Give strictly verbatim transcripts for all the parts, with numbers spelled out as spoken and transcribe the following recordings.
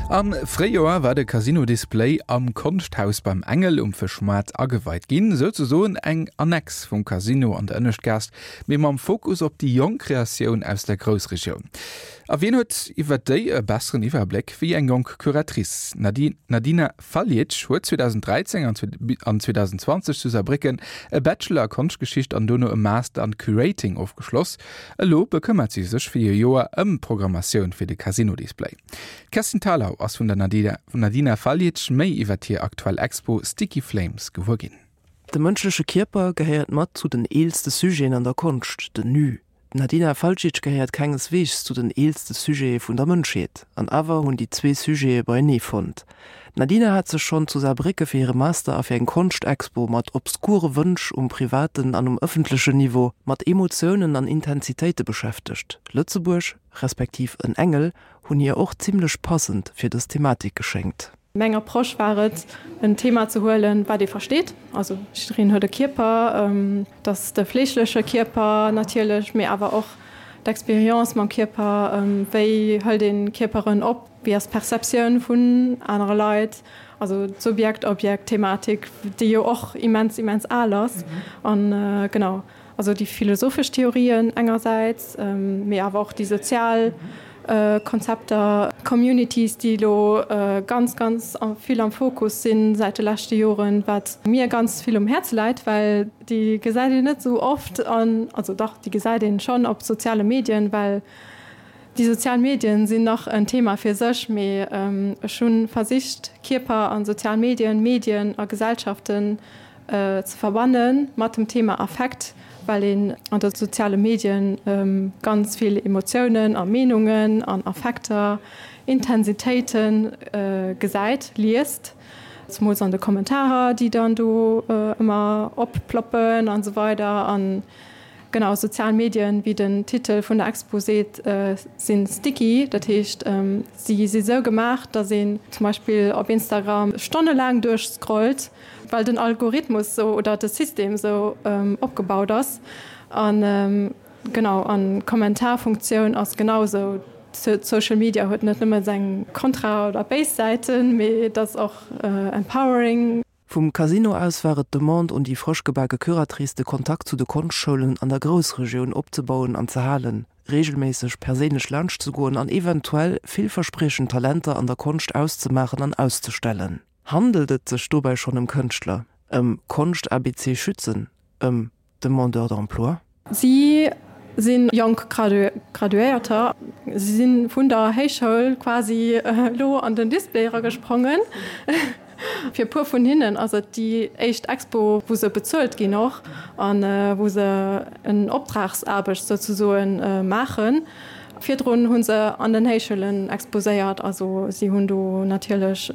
Am Fréijoer war de Casino Display am Konschthaus beim Engel um Fëschmaart ageweit ginn, souzesoen eng Annex vum Casino an der Ënneschtgaass, mee mam Fokus op déi jonk Kreatioun aus der Groussregioun. A wien huet iwwer déi e besseren Iwwerbléck wéi eng jonk Curatrice? D'Nadina Faljic huet zweedausenddräizéng an zweedausendzwanzeg zu Saarbrécken e Bachelor a Konschtgeschicht an dono e Master an Curating ofgeschloss. Elo bekëmmert si sech fir e Joer ëm d'Programmatioun fir de Casino Display. D'Kerstin Thalau ass vun der Nadina Faljic méi iwwer hir aktuell Expo Sticky Flames gewuer ginn. De mënschleche Kierper gehéiert mat zu den eelste Sujeten an der Konscht, den Nu. D'Nadina Faljic gehéiert kengesweegs zu den eelste Sujete vun der Mënschheet. An awer hunn déi zwee Sujete beienee fonnt. D'Nadina hat sech schonn zu Saarbrécke fir hire Master a fir eng Konschtexpo mat obskure Wënsch um privaten an um ëffentlechen Niveau, mat Emotiounen an Intensitéite beschäftegt. Lëtzebuerg, respektiv en Engel, hunn hir och zimmlech passend fir dës Thematik geschéngt. Meng Approche war et, en Thema ze huelen, wat ee versteet. Also jiddereen huet e Kierper, et ass de fleeschleche Kierper natierlech, mee awer och d'Experience mam Kierper, wéi hëlt ee Kierperen op, wéi ass d'Perceptioun vun anere Leit, also d'Subjekt-Objekt-Thematik, déi jo och immens, immens al ass. An genau, also déi philosophesch Theorien engersäits, mee awer och déi sozial Konzepter, Communities, déi elo ganz, ganz vill am Fokus si säit de leschte Joren, wat mir ganz vill um Häerz läit, well déi gesäit een net esou oft an, also dach, déi gesäit een schonn op soziale Medien, well déi sozial Medien sinn nach en Thema fir sech, mee ech hu versicht, Kierper a sozial Medien, Medien a Gesellschaften ze verbanne mat dem Thema Affekt, well een an de soziale Medien ganz vill Emotiounen a Meenungen an Affekter, Intensitéite gesäit, liest, zemools an de Kommentarer, déi dann do ëmmer opploppen an esou weider. An genau, sozial Medien, wéi den Titel vun der Expo seet, sinn sticky, dat heescht, si si sou gemaach, datt een zum Beispill op Instagram stonnelaang duerchscrollt, well den Algorithmus sou oder de System sou opgebaut ass. An genau, an d'Kommentarfunktioun ass genau sou. Social Media huet net nëmme seng Kontra oder béis Säiten, mee et ass och empowering. Vum Casino aus war et d'Demande un déi frësch gebake Curatrice, de Kontakt zu de Konschtschoulen an der Groussregioun opzebauen an ze halen, reegelméisseg perséinlech laanschtzegoen an eventuell villverspriechend Talenter an der Konscht auszemaachen an auszestellen. Handelt et sech dobäi schonn ëm Kënschtler, ëm Konscht-ABC-Schützen, ëm Demandeurs d'emploi? Si si jonk Graduéierter. Si si vun der Héichschoul quasi elo an den Display eragesprongen. Fir e puer vun hinnen ass et déi éischt Expo, wou se bezuelt ginn och a wou se en Optragsaarbecht souzesoen maachen. Virdrun hu se an den Héichschoulen exposéiert. Also si hunn do natierlech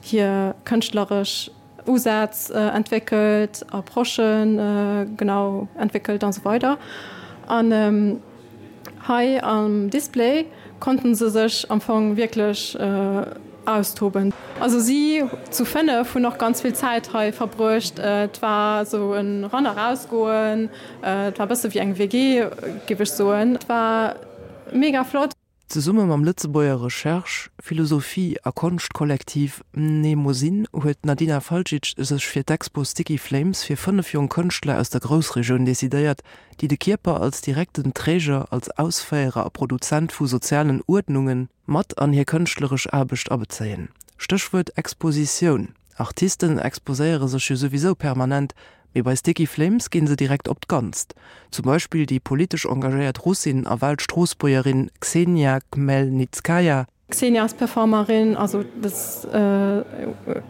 hir kënschtleresch Usätz entwéckelt, Approchen genau entwéckelt an esou weider. An hei am Display konnten se sech am Fong wierklech austoben. Also si zu fënnef hunn och ganz vill Zäit hei verbruecht. Et war esou en Ran a Rausgoen. Et war e bësse wéi eng W G, géif ech soen. Et war mega flott. Zesumme mam Lëtzebuerger Recherche-, Philosophie a Konschtkollektiv Mnemosyne huet d'Nadina Faljic sech fir d'Expo Sticky Flames fir fënnef jonk Kënschtler aus der Groussregioun decidéiert, déi de Kierper als direkten Träger, als Ausféierer a Produzent vu sozialen Uerdnungen, mat an hir kënschtleresch Aarbecht abezéien. Stéchwuert Expositioun. Artisten exposéiere sech jo souwisou permanent, mee bei Sticky Flames ginn se direkt op d'Ganzt. Zum Beispill déi politesch engagéiert Russin a Wahlstroossbuergerin Ksenia Khmelnitskaya. D'Xenia ass Performerin, also et ass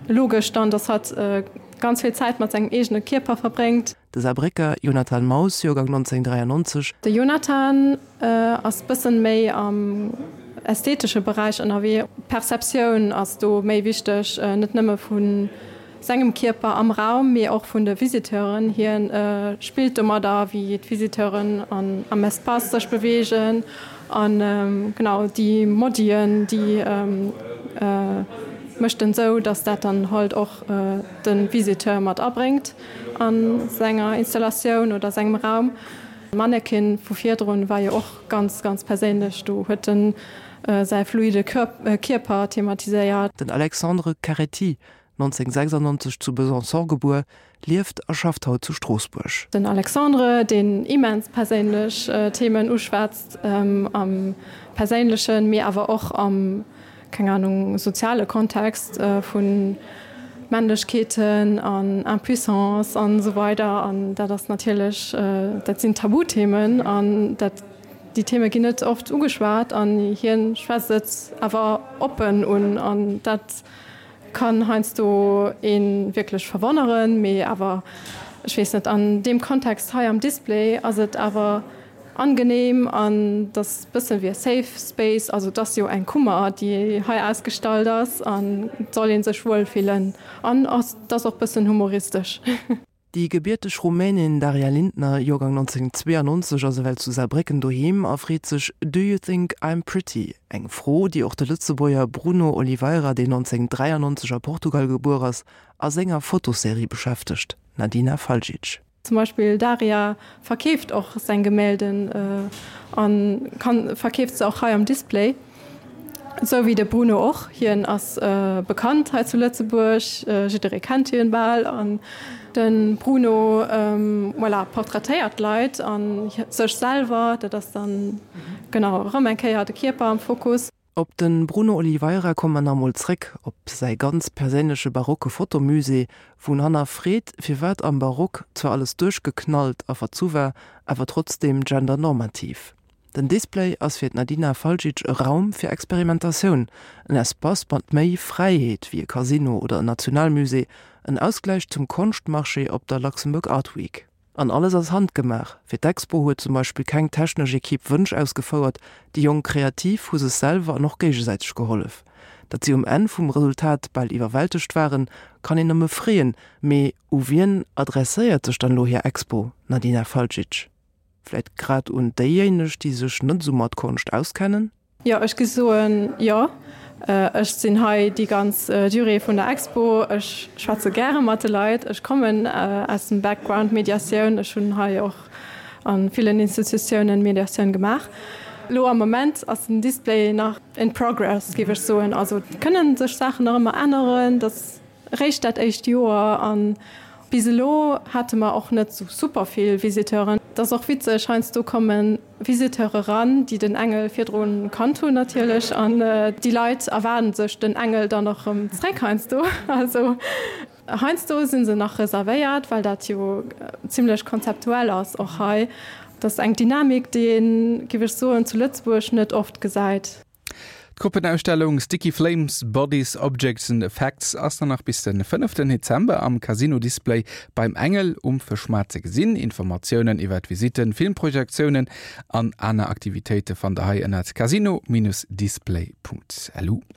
logesch dann, dass hatt ganz vill Zäit mat sengem eegene Kierper verbréngt. De Saarbrécker Jonathan Maus, Joergang nonzénhunnertdräiannonzeg. De Jonathan ass bëssen méi am ästhetesche Beräich ënnerwee. D'Perceptioun ass do méi wichteg, net nëmme vu sengem Kierper am Raum, mee och vun de Visiteuren. Hien spillt domadder, wéi d'Visiteuren am Espace sech beweegen an genau déi Modien, déi mécht en esou, dass dat dann halt och de Visiteur mat abréngt a senger Installatioun oder sengem Raum. D'Mannequin vu virdrun war jo och ganz, ganz perséinlech. Do huet en säi fluide Kierper thematiséiert. Den Alexandre Caretti, neunzehnhundertsechsundneunzeg zu Besançon gebuer, lieft a schafft haut zu Stroossbuerg. Den Alexandre, deen immens perséinlech Themen uschwätzt, am Perséinlechen, mee awer och am, keng Anung, soziale Kontext vu Männlechkeeten an Impuissance an esou weider. An dat ass natierlech, dat sinn Tabuthemen an dat, déi Theme ginn net oft ugeschwat an hien schwätzt et awer oppen un an dat kann heiansdo ee wierklech verwonneren, mee awer, ech weess net, an deem Kontext hei am Display ass et awer angenehm an et ass bësse wéi e safe space, also et ass jo eng Kummer, déi hei ausgestallt ass an et soll ee sech wuel fillen an et ass och bëssen humoristesch. Déi gebierteg Rumänin Daria Lindner, Joergang neunzehnhundertzweeënneunzeg, ass ewell zu Saarbrécken doheem a freet sech Do you think I'm pretty? Eng Fro, déi och de Lëtzebuerger Bruno Oliveira, deen neunzehnhundertdräiannonzeg a Portugal gebuer ass, a senger Fotoserie beschäftegt. Nadina Faljic. Zum Beispill Daria verkeeft och seng Gemälden a kann verkeeft se och hei am Display. Esou wéi de Bruno och. Hien ass bekannt hei zu Lëtzebuerg, jidderee kennt hien bal. An de Bruno, voilà, portraitéiert d'Leit a sech selwer. Dat ass dann, genau, erëm eng Kéier de Kierper am Fokus. Op de Bruno Oliveira komme mer nach emol zréck, op säi ganz perséinleche barocke Fotomusée, wou en hannerfreet, firwat am Barock zwar alles duerchgeknallt a verzu war, awer trotzdeem gendernormativ. Den Display ass fir d'Nadina Faljic e Raum fir Experimentatioun, en Espace mat méi Fräiheet wéi e Casino oder en Nationalmusée, en Ausgläich zum Konschtmarché op der Luxembourg Art Week. An alles ass handgemaach, Fir d'Expo huet zum Beispill keng technesch Ekipp Wënsch ausgefouert, déi jonk Kreativ hu sech selwer an och géigesäiteg gehollef. Datt si um Enn vum Resultat bal iwwerwältegt waren, kann een nëmme freeën, mee u wien adresséiert sech dann elo hir Expo, Nadina Faljic? Vläit grad un déijéineg, déi sech net esou mat Konscht auskennen? Jo, ech gi soen, jo. Ech sinn hei déi ganz Durée vun der Expo. Ech schwätze gäre mat de Leit. Ech kommen aus dem Background Mediatioun. Ech hunn hei och a villen Institutiounen Mediatioun gemaach. Elo am Moment ass den Display nach in progress, géif ech soen. Also et kënne sech Saachen nach ëmmer änneren. Dat ass eréischt dat éischt Joer a bis elo hate mer och net esou super vill Visiteuren. Et ass och witzeg, heiansdo komme Visiteure ran, déi den Engel virdru kannt hunn natierlech an déi Leit erwaarden sech den Engel dann och erëm zréck heiansdo. Also heiansdo si se nach reservéiert, well dat jo zimlech konzeptuell ass och hei. Et ass eng Dynamik, déi een, géif ech soen, zu Lëtzebuerg net oft gesäit. D'Gruppenausstellung Sticky Flames, Bodies, Objects and Effects ass dann nach bis de fënneften Dezember am Casino Display beim Engel um Fëschmaart ze gesinn. Informatiounen iwwer Visitten, Filmprojektiounen an aner Aktivitéite fannt der hei ënnert casino-display.lu.